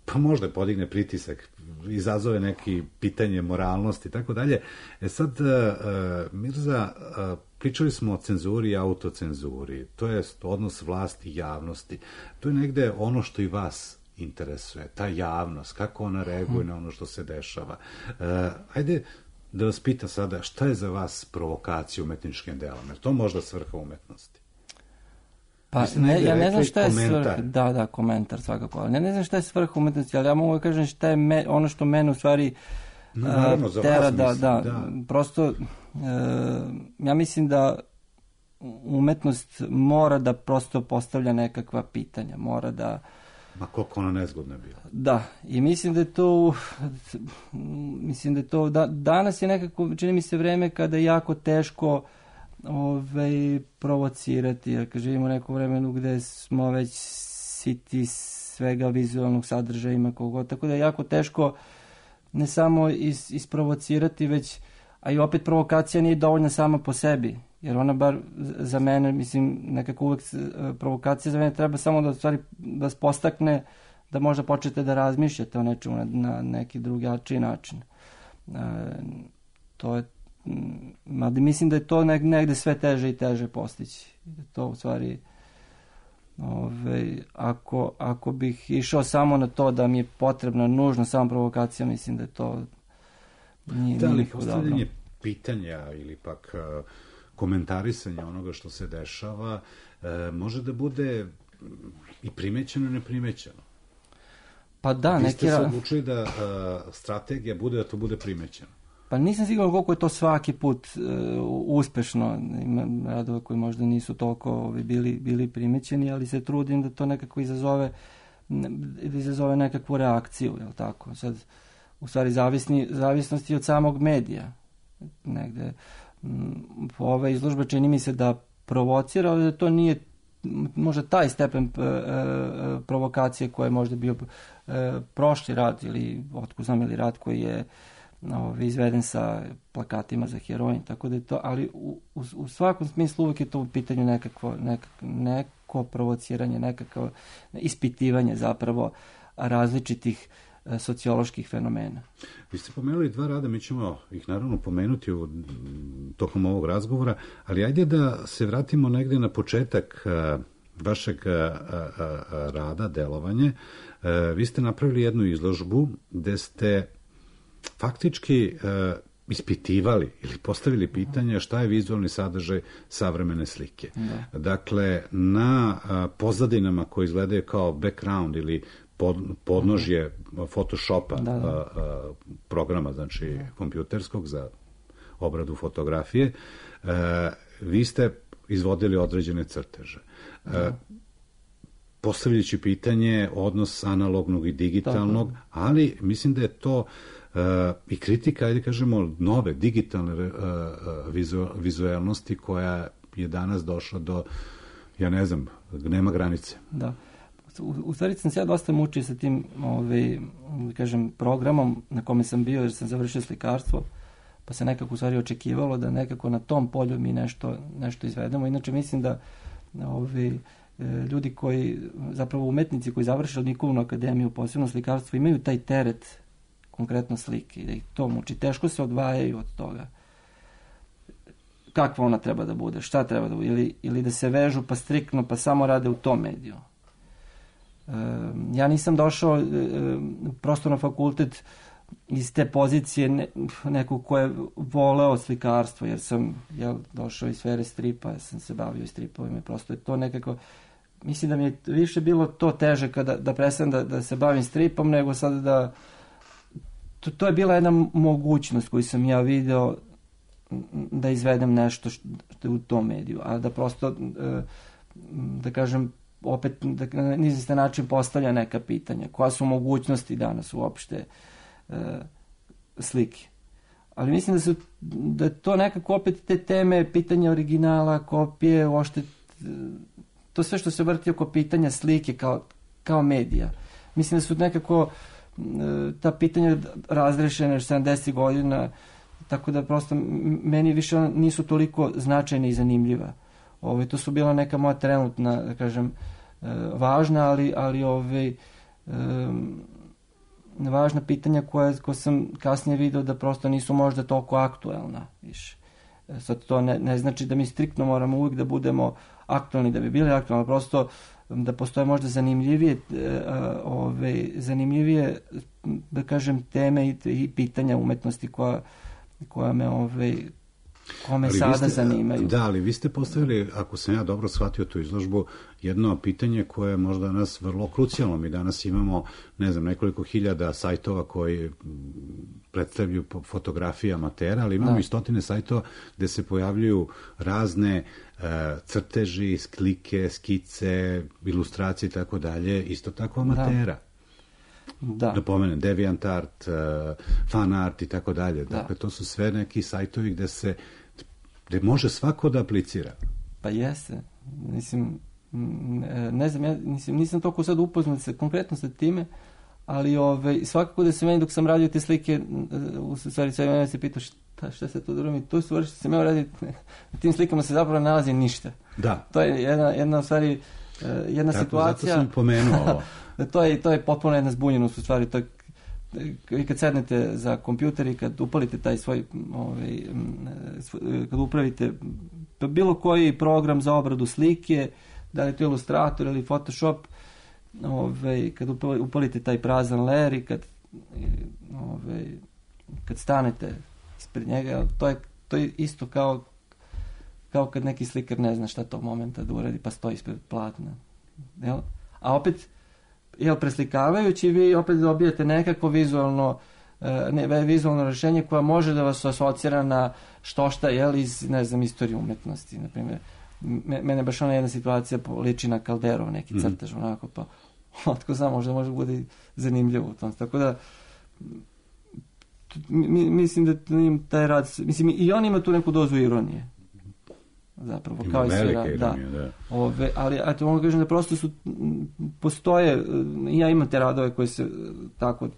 pa možda podigne pritisak, izazove neki pitanje moralnosti i tako dalje. E sad, e, Mirza, e, pričali smo o cenzuri i autocenzuri, to je odnos vlasti i javnosti. To je negde ono što i vas interesuje, ta javnost, kako ona reaguje hmm. na ono što se dešava. E, ajde da vas pita sada, šta je za vas provokacija umetničkim delom? Jer to možda svrha umetnosti? Pa, ne, ja ne znam šta je svrha, da, da, komentar svakako, ali ne, ne znam šta je svrha umetnosti, ali ja mogu da kažem šta je me, ono što mene u stvari no, naravno, za tera, vas da, mislim, da, da, prosto, e, ja mislim da umetnost mora da prosto postavlja nekakva pitanja, mora da... Ma koliko ona nezgodna bila. Da, i mislim da je to, mislim da je to, da, danas je nekako, čini mi se vreme kada je jako teško Ove, provocirati, jer kad živimo u nekom vremenu gde smo već siti svega vizualnog sadržaja ima kogo, tako da je jako teško ne samo is, isprovocirati, već, a i opet provokacija nije dovoljna sama po sebi, jer ona bar za mene, mislim, nekako uvek provokacija za mene treba samo da stvari vas postakne da možda počnete da razmišljate o nečemu na, na neki drugačiji način. E, to je mada mislim da je to negde sve teže i teže postići. To u stvari Ove, ako, ako bih išao samo na to da mi je potrebna nužno samo provokacija, mislim da je to nije, da, ali nije postavljanje pitanja ili pak uh, komentarisanje onoga što se dešava uh, može da bude i primećeno i neprimećeno. Pa da, vi ste neki... se odlučili da uh, strategija bude da to bude primećeno. Pa nisam siguran koliko je to svaki put uh, uspešno. Ima radova koji možda nisu toliko ovi, bili, bili primećeni, ali se trudim da to nekako izazove, da izazove nekakvu reakciju, jel tako? Sad, u stvari, zavisni, zavisnosti od samog medija. Negde, m, ova izložba čini mi se da provocira, ali da to nije možda taj stepen e, e, provokacije koji je možda bio e, prošli rad ili otko znam ili rad koji je no, izveden sa plakatima za heroin, tako da je to, ali u, u, u svakom smislu uvijek je to u pitanju nekakvo, nekako, neko provociranje, nekako ispitivanje zapravo različitih e, socioloških fenomena. Vi ste pomenuli dva rada, mi ćemo ih naravno pomenuti u, tokom ovog razgovora, ali ajde da se vratimo negde na početak a, vašeg a, a, a, rada, delovanje. A, vi ste napravili jednu izložbu gde ste faktički a, ispitivali ili postavili pitanje šta je vizualni sadržaj savremene slike. Da. Dakle, na a, pozadinama koje izgledaju kao background ili pod, podnožje uh-huh. Photoshopa, da, da. A, a, programa, znači da. kompjuterskog za obradu fotografije, a, vi ste izvodili određene crteže. A, postavljajući pitanje odnos analognog i digitalnog, da. ali mislim da je to Uh, i kritika, ajde kažemo, nove digitalne uh, vizu, vizualnosti koja je danas došla do, ja ne znam, nema granice. Da. U, u stvari sam se ja dosta mučio sa tim ovaj, kažem, programom na kome sam bio jer sam završio slikarstvo, pa se nekako u stvari očekivalo da nekako na tom polju mi nešto, nešto izvedemo. Inače mislim da ovaj, ljudi koji, zapravo umetnici koji završe Likovnu akademiju, posebno slikarstvo, imaju taj teret konkretno slike i da ih to muči. Teško se odvajaju od toga. Kakva ona treba da bude, šta treba da bude, ili, ili da se vežu pa striktno, pa samo rade u tom mediju. E, ja nisam došao e, prosto na fakultet iz te pozicije ne, nekog ko je voleo slikarstvo, jer sam ja došao iz sfere stripa, ja sam se bavio i stripovima, prosto je to nekako, mislim da mi je više bilo to teže kada, da prestanem da, da se bavim stripom, nego sad da To, to je bila jedna mogućnost koju sam ja video da izvedem nešto što, što je u tom mediju, a da prosto, da kažem, opet da na izvestan način postavlja neka pitanja. Koja su mogućnosti danas uopšte slike? Ali mislim da su da to nekako opet te teme, pitanja originala, kopije, uopšte to sve što se vrti oko pitanja slike kao, kao medija. Mislim da su nekako ta pitanja razrešene sedamdesetih godina, tako da prosto meni više nisu toliko značajne i zanimljiva. Ove, to su bila neka moja trenutna, da kažem, važna, ali, ali ove, um, važna pitanja koja, koja sam kasnije video da prosto nisu možda toliko aktuelna više. Sad to ne, ne znači da mi striktno moramo uvijek da budemo aktuelni, da bi bili aktuelni, prosto da postoje možda zanimljivije ove, zanimljivije da kažem teme i, i pitanja umetnosti koja, koja me ove, kome ali sada ste, zanimaju. Da, ali vi ste postavili, ako sam ja dobro shvatio tu izložbu, jedno pitanje koje je možda nas vrlo krucijalno. Mi danas imamo, ne znam, nekoliko hiljada sajtova koji predstavljaju fotografije amatera, ali imamo da. i stotine sajtova gde se pojavljuju razne uh, crteži, slike, skice, ilustracije i tako dalje, isto tako amatera. Da. Da pomenem, DeviantArt, uh, FanArt i tako dalje. Dakle, to su sve neki sajtovi gde se, gde može svako da aplicira. Pa jeste. Mislim, ne znam, ja nisam, nisam toliko sad upoznat se konkretno sa time, ali ove, svakako da se meni dok sam radio te slike, u stvari sve mene se pitao šta, šta se to drugi, to su što se meni radi, na tim slikama se zapravo ne nalazi ništa. Da. To je jedna, jedna u stvari, jedna tako, situacija. Zato sam pomenuo ovo. to, je, to je potpuno jedna zbunjenost u stvari, to je, i kad sednete za kompjuter i kad upalite taj svoj, ovaj, kad upravite bilo koji program za obradu slike, da li je to Illustrator ili Photoshop, ove, kad upalite taj prazan layer i kad, ove, kad stanete ispred njega, to je, to je isto kao, kao kad neki slikar ne zna šta tog momenta da uradi, pa stoji ispred platna. Jel? A opet, jel, preslikavajući, vi opet dobijete nekako vizualno ne, vizualno rešenje koja može da vas asocira na što šta, jel, iz, ne znam, istorije umetnosti, na primjer. Mene baš ona jedna situacija liči na Calderov, neki crtež, mm. onako, pa otko znam, možda može bude zanimljivo u tom. Tako da, mi, mislim da taj rad, mislim, i on ima tu neku dozu ironije. Zapravo, ima kao i svi rad, da. da. Ove, ali, eto, mogu kažem da prosto su, postoje, ja imam te radove koje se tako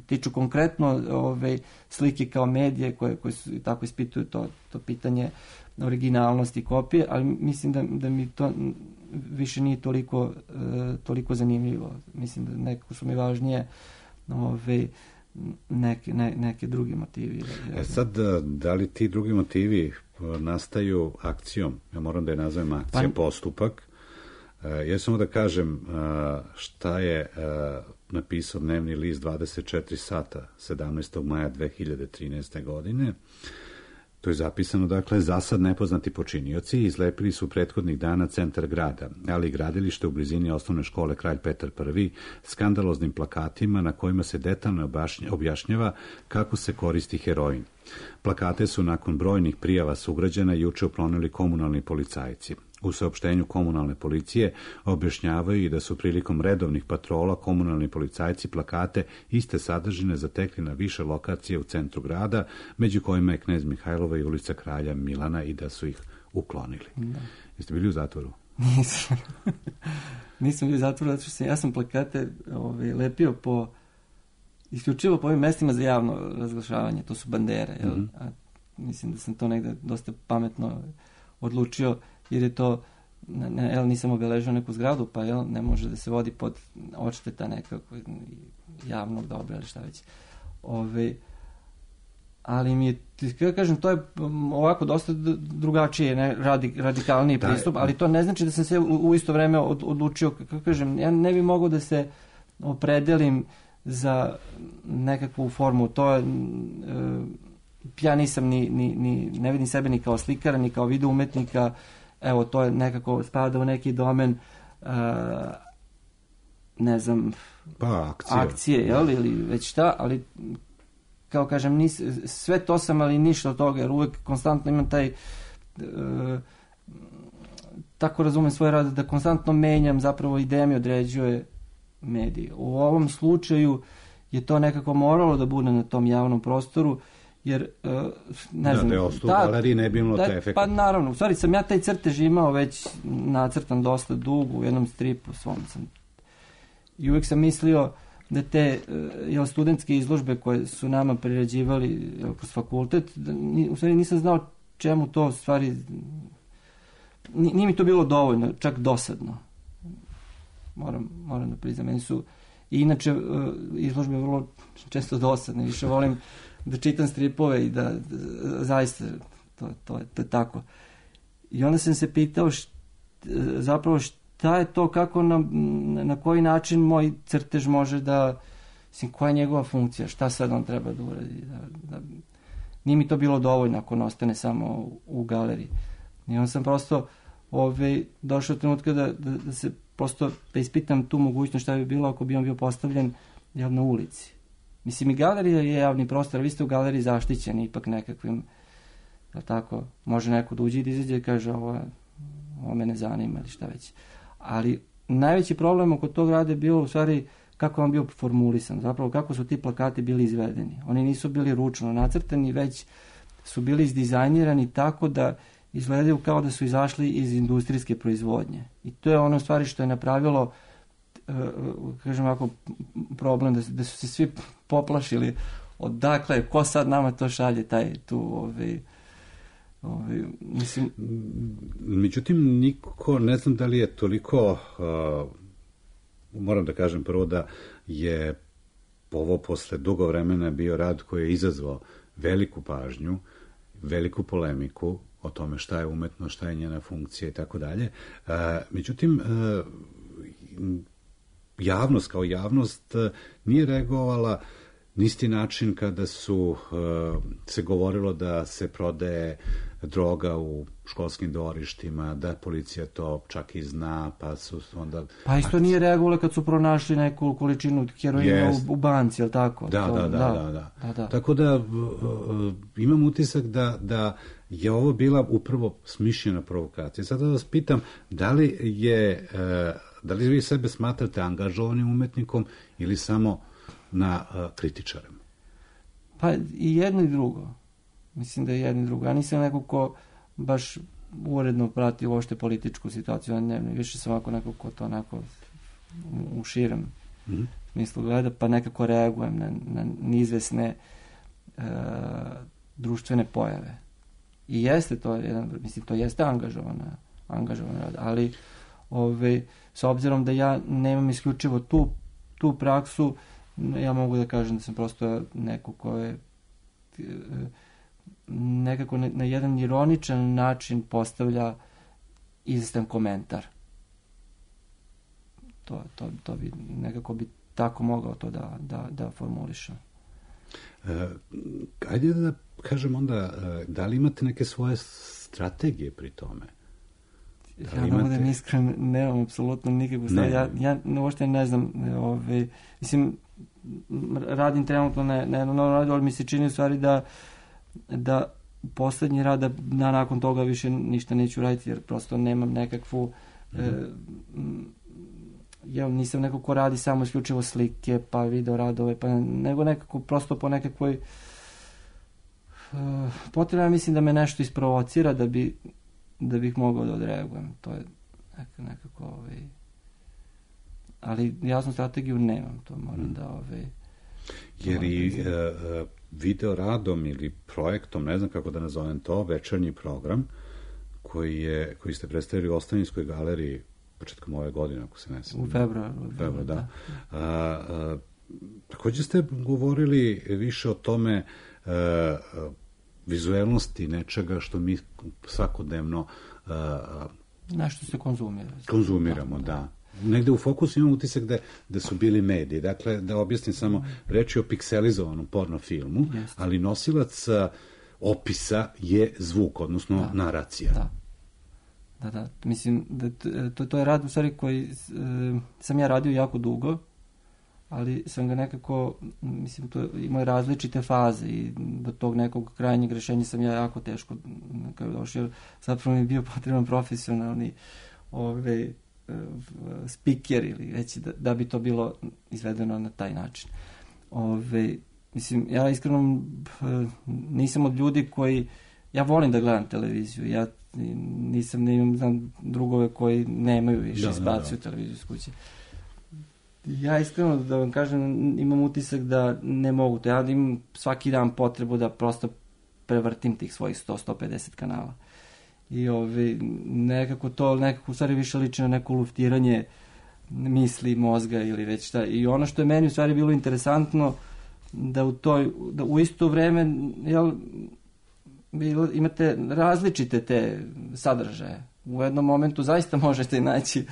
tiču konkretno ove, slike kao medije, koje, koje su tako ispituju to, to pitanje originalnosti kopije, ali mislim da, da mi to više nije toliko, uh, toliko zanimljivo. Mislim da nekako su mi važnije ove, neke, ne, neke drugi motivi. E sad, da li ti drugi motivi nastaju akcijom? Ja moram da je nazovem akcija, pa, postupak. Uh, ja samo da kažem uh, šta je uh, napisao dnevni list dvadeset četiri sata sedamnaestog maja dve hiljade trinaeste. godine. To je zapisano, dakle, za sad nepoznati počinioci izlepili su prethodnih dana centar grada, ali i gradilište u blizini osnovne škole Kralj Petar Prvi, skandaloznim plakatima na kojima se detaljno objašnjava kako se koristi heroin. Plakate su nakon brojnih prijava sugrađana juče uklonili komunalni policajci. U saopštenju komunalne policije objašnjavaju i da su prilikom redovnih patrola komunalni policajci plakate iste sadržine zatekli na više lokacije u centru grada, među kojima je Knez Mihajlova i ulica Kralja Milana, i da su ih uklonili. Da. Jeste bili u zatvoru? Nisam. Nisam bili u zatvoru, zato što sam, ja sam plakate ovaj, lepio po, isključivo po ovim mestima za javno razglašavanje, to su bandere. Jel? Mm-hmm. A mislim da sam to negde dosta pametno odlučio, jer je to, ne, jel, nisam obeležio neku zgradu, pa jel, ne može da se vodi pod odšteta nekako javnog dobra ili šta već. Ove, ali mi je, kada kažem, to je ovako dosta drugačije, ne, radi, radikalniji da, pristup, ali to ne znači da sam se u, u isto vreme od, odlučio, kako kažem, ja ne bi mogao da se opredelim za nekakvu formu, to je, e, ja nisam ni, ni, ni, ne vidim sebe ni kao slikara, ni kao video umetnika. Evo, to je nekako spada u neki domen, uh, ne znam, pa, akcije, akcije jel, ili već šta, ali kao kažem, nis, sve to sam, ali ništa od toga, jer uvek konstantno imam taj, uh, tako razumem svoj rad, da konstantno menjam, zapravo ideja mi određuje medij. U ovom slučaju je to nekako moralo da bude na tom javnom prostoru, jer, uh, ne znam... Da, da je ostao u galeriji, ne bi imalo da, te efekte. Pa naravno, u stvari sam ja taj crtež imao već nacrtan dosta dugo, u jednom stripu svom sam. I uvijek sam mislio da te uh, studentske izložbe koje su nama priređivali jel, kroz fakultet, da, u stvari nisam znao čemu to, u stvari... Nije mi to bilo dovoljno, čak dosadno. Moram, moram da priznam, meni su... I inače, uh, izložbe vrlo često dosadne, više volim da čitam stripove i da, da zaista to, to, je, to je tako. I onda sam se pitao št, zapravo šta je to, kako na, na koji način moj crtež može da, mislim, koja je njegova funkcija, šta sad on treba da uradi. Da, da, nije mi to bilo dovoljno ako on ostane samo u, u galeriji. I onda sam prosto ove, došao trenutka da, da, da se prosto da ispitam tu mogućnost šta bi bilo ako bi on bio postavljen jel, na ulici. Mislim, i galerija je javni prostor, vi ste u galeriji zaštićeni ipak nekakvim, da tako, može neko da uđe i da izađe i kaže ovo, ovo me ne zanima ili šta već. Ali najveći problem oko tog rada je bilo u stvari kako on bio formulisan, zapravo kako su ti plakati bili izvedeni. Oni nisu bili ručno nacrtani, već su bili izdizajnirani tako da izgledaju kao da su izašli iz industrijske proizvodnje. I to je ono stvari što je napravilo kažem ovako, problem da, da su se svi poplašili odakle, ko sad nama to šalje, taj tu ovaj, ovaj, mislim... Međutim, niko, ne znam da li je toliko, uh, moram da kažem prvo da je ovo posle dugo vremena bio rad koji je izazvao veliku pažnju, veliku polemiku, o tome šta je umetnost, šta je njena funkcija i tako dalje. Međutim, javnost kao javnost nije reagovala na isti način kada su se govorilo da se prodaje droga u školskim dvorištima, da policija to čak i zna, pa su onda... Pa isto nije reagovalo kad su pronašli neku količinu heroina yes. u, u banci, je li tako? Da, to, da, da, da, da, da. da, da. Tako da uh, imam utisak da, da je ovo bila upravo smišljena provokacija. Sada vas pitam, da li je, uh, da li vi sebe smatrate angažovanim umetnikom ili samo na uh, kritičarem? Pa i jedno i drugo. Mislim da je jedno i drugo. Ja nisam neko ko baš uredno prati uopšte političku situaciju, ne, više sam ovako neko ko to onako u širem mm-hmm. smislu gleda, pa nekako reagujem na, na neizvesne e, društvene pojave. I jeste to jedan, mislim, to jeste angažovana, angažovan rad, ali ove, s obzirom da ja nemam isključivo tu, tu praksu, ja mogu da kažem da sam prosto neko ko je e, nekako na, na jedan ironičan način postavlja izvestan komentar. To, to, to bi nekako bi tako mogao to da, da, da formulišem. E, ajde da kažem onda, da li imate neke svoje strategije pri tome? Da ja imate... da budem iskren, nemam apsolutno nikakvu strategiju. Ja, ja uopšte ne znam, ove, mislim, radim trenutno na, na jednom novom radu, ali mi se čini u stvari da da poslednji rad, da nakon toga više ništa neću raditi, jer prosto nemam nekakvu mm-hmm. e, ja nisam neko ko radi samo isključivo slike, pa video radove, pa nego nekako prosto po nekakvoj uh, potrebno mislim da me nešto isprovocira da bi da bih mogao da odreagujem. To je nekako, nekako ovaj, ali jasnu strategiju nemam, to moram mm. da ovaj, jer i uh, video radom ili projektom, ne znam kako da nazovem to, večernji program koji je koji ste predstavili u Ostavinskoj galeriji početkom ove godine, ako se ne znam. U februaru. U februaru, da. A, a, također ste govorili više o tome a, vizuelnosti nečega što mi svakodnevno a, nešto se konzumira. Konzumiramo, da. da. Negde u fokusu imam utisak da, da su bili mediji. Dakle, da objasnim samo, reč je o pikselizovanom porno filmu, Jeste. ali nosilac opisa je zvuk, odnosno da. naracija. Da. Da, da. Mislim, da to, to je rad u stvari koji e, sam ja radio jako dugo, ali sam ga nekako, mislim, to imao različite faze i do tog nekog krajnjeg rešenja sam ja jako teško kada došao, zapravo mi je bio potreban profesionalni ove, speaker ili reći da, da bi to bilo izvedeno na taj način. Ove, mislim, ja iskreno nisam od ljudi koji, ja volim da gledam televiziju, ja nisam, ne imam, znam drugove koji nemaju više izbaciju televiziju s kuće. Ja iskreno da vam kažem, imam utisak da ne mogu to, ja imam svaki dan potrebu da prosto prevrtim tih svojih sto do sto pedeset kanala. I ovi, nekako to, nekako u stvari više liči na neko luftiranje misli, mozga ili već šta. I ono što je meni u stvari bilo interesantno, da u toj, da u isto vreme, jel, bilo, imate različite te sadržaje. U jednom momentu zaista možete naći,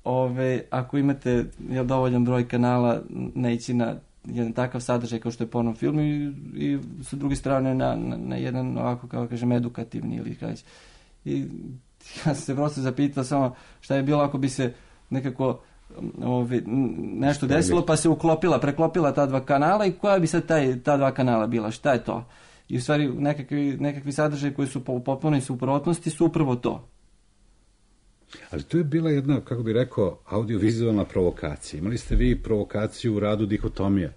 ove, ako imate jel, dovoljan broj kanala, naići na jedan takav sadržaj kao što je porno film i, i sa druge strane na, na, na jedan ovako, kao kažem, edukativni ili kaći. I ja sam se prosto zapitao samo šta je bilo ako bi se nekako ovi, nešto desilo pa se uklopila, preklopila ta dva kanala i koja bi sad taj, ta dva kanala bila, šta je to? I u stvari nekakvi, nekakvi sadržaj koji su po potpunoj suprotnosti su upravo to. Ali to je bila jedna, kako bi rekao, audiovizualna provokacija. Imali ste vi provokaciju u radu Dihotomija?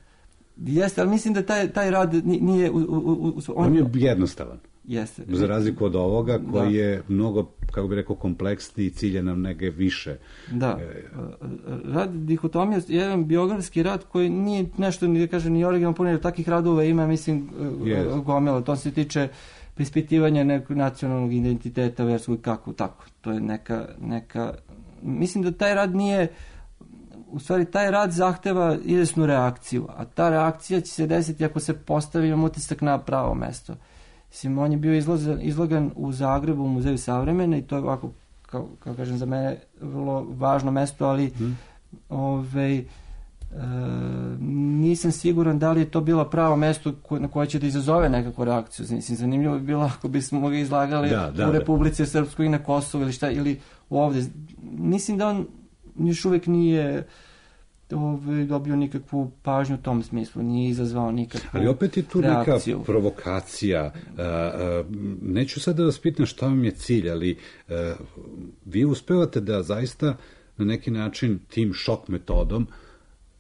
Jeste, ali mislim da taj, taj rad nije... U, u, u, on, on je jednostavan. Jeste. Za razliku od ovoga koji da. je mnogo, kako bi rekao, kompleksniji i cilja nam neke više. Da. Rad Dihotomija je jedan biografski rad koji nije nešto, da kažem, ni originalno puno, jer takvih radova ima, mislim, yes. gomela. To se tiče prispitivanja nekog nacionalnog identiteta, verskog i kako, tako. To je neka, neka... Mislim da taj rad nije... U stvari, taj rad zahteva izvesnu reakciju, a ta reakcija će se desiti ako se postavi utisak na pravo mesto. Mislim, on je bio izložen, izlogan u Zagrebu u Muzeju savremene i to je ovako, kao, kao kažem, za mene vrlo važno mesto, ali hmm. ovaj, e, nisam siguran da li je to bilo pravo mesto ko, na koje će da izazove nekakvu reakciju. Mislim, zanimljivo bi bilo ako bismo ga izlagali da, da, u Republici Srpskoj i na Kosovu ili šta, ili ovde. Mislim da on još uvijek nije ovaj, dobio nikakvu pažnju u tom smislu, nije izazvao nikakvu Ali opet je tu reakciju. Neka provokacija. A, a, neću sad da vas pitam šta vam je cilj, ali a, vi uspevate da zaista na neki način tim šok metodom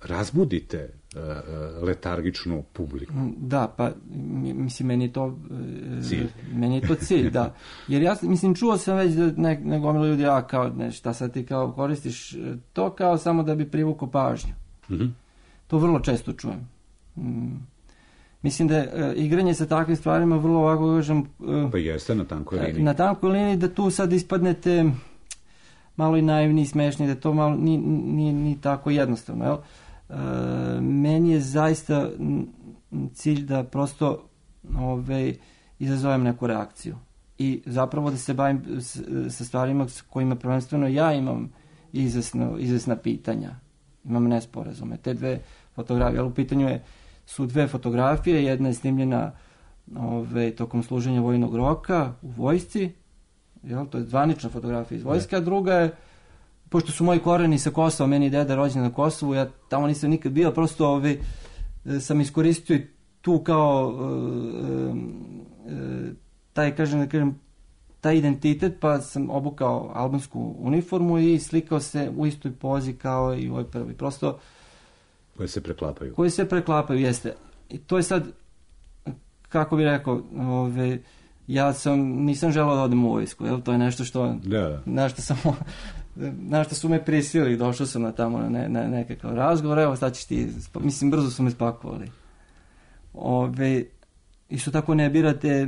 razbudite a, letargičnu publiku. Da, pa mislim, meni je to cilj. Meni je to cilj, da. Jer ja, mislim, čuo sam već da ne, ne gomilo ljudi, a kao, ne, šta sad ti kao koristiš to kao samo da bi privukao pažnju. Mm-hmm. To vrlo često čujem. Mm. Mislim da je uh, igranje sa takvim stvarima vrlo ovako, kažem... Uh, pa jeste na tankoj liniji. Na tankoj liniji da tu sad ispadnete malo i naivni i smešni, da to malo nije ni, ni tako jednostavno, jel? Uh, meni je zaista cilj da prosto ovaj, izazovem neku reakciju i zapravo da se bavim s, sa stvarima s kojima prvenstveno ja imam izvesno, izvesna pitanja, imam nesporazume. Te dve fotografije, ali u pitanju je, su dve fotografije, jedna je snimljena ovaj, tokom služenja vojnog roka u vojsci, jel? To je zvanična fotografija iz vojske, a druga je, pošto su moji koreni sa Kosova, meni je deda rođen na Kosovu, ja tamo nisam nikad bio, prosto ovaj, sam iskoristio tu kao uh, uh, taj, kažem, da kažem, taj identitet, pa sam obukao albansku uniformu i slikao se u istoj pozi kao i u ovoj prvi. Prosto... Koje se preklapaju. Koje se preklapaju, jeste. I to je sad, kako bih rekao, ove, ja sam, nisam želeo da odem u vojsku, jel? To je nešto što... Da. Na što sam... na što su me prisilili, došao sam na tamo na, ne, na nekakav razgovor, evo sad ćeš ti, mislim, brzo su me spakovali. Ove, isto tako ne birate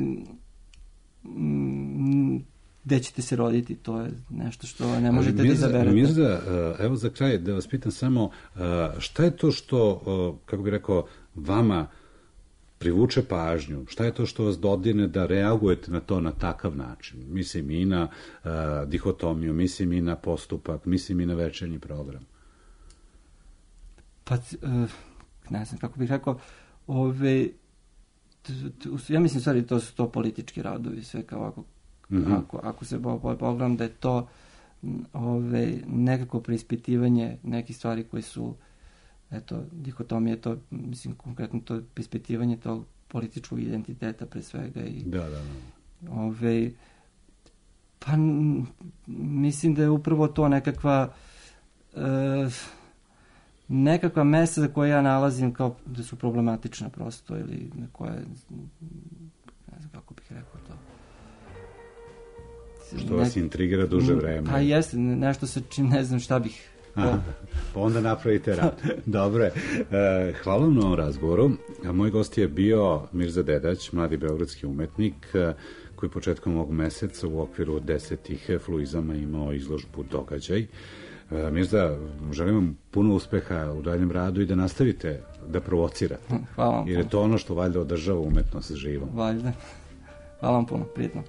m, gde ćete se roditi, to je nešto što ne možete da izaberete. Mirza, evo za kraj da vas pitam samo, šta je to što, kako bih rekao, vama privuče pažnju? Šta je to što vas dodirne da reagujete na to na takav način? Mislim i na uh, dihotomiju, mislim i na postupak, mislim i na večernji program. Pa, uh, ne znam kako bih rekao, ove, t, t, ja mislim stvari to su to politički radovi, sve kao ako, mm-hmm. ako, ako se pogledam da je to ove, nekako preispitivanje nekih stvari koje su eto, dihotomije, to, mislim, konkretno to ispitivanje tog političkog identiteta pre svega i da, da, da. Ove, pa mislim da je upravo to nekakva e, nekakva mesta za koje ja nalazim kao da su problematična prosto ili na koje ne znam kako bih rekao to. Što vas intrigira duže vreme. Pa jeste, nešto sa čim ne znam šta bih. Aha, pa onda napravite rad. Dobro je. E, hvala vam na ovom razgovoru. Moj gost je bio Mirza Dedać, mladi beogradski umetnik, koji početkom ovog meseca u okviru desetih fluizama imao izložbu Događaj. E, Mirza, želim vam puno uspeha u daljem radu i da nastavite da provocirate. Hvala vam. Jer je to ono što valjda održava umetnost živom. Valjda. Hvala vam puno, prijetno.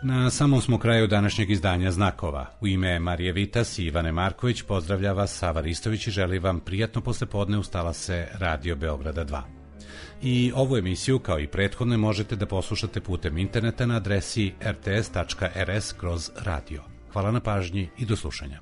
Na samom smo kraju današnjeg izdanja Znakova. U ime Marije Vitas i Ivane Marković pozdravlja vas Sava Ristović i želi vam prijatno poslepodne uz talase Radio Beograda dva. I ovu emisiju, kao i prethodne, možete da poslušate putem interneta na adresi r t s tačka r s kroz radio. Hvala na pažnji i do slušanja.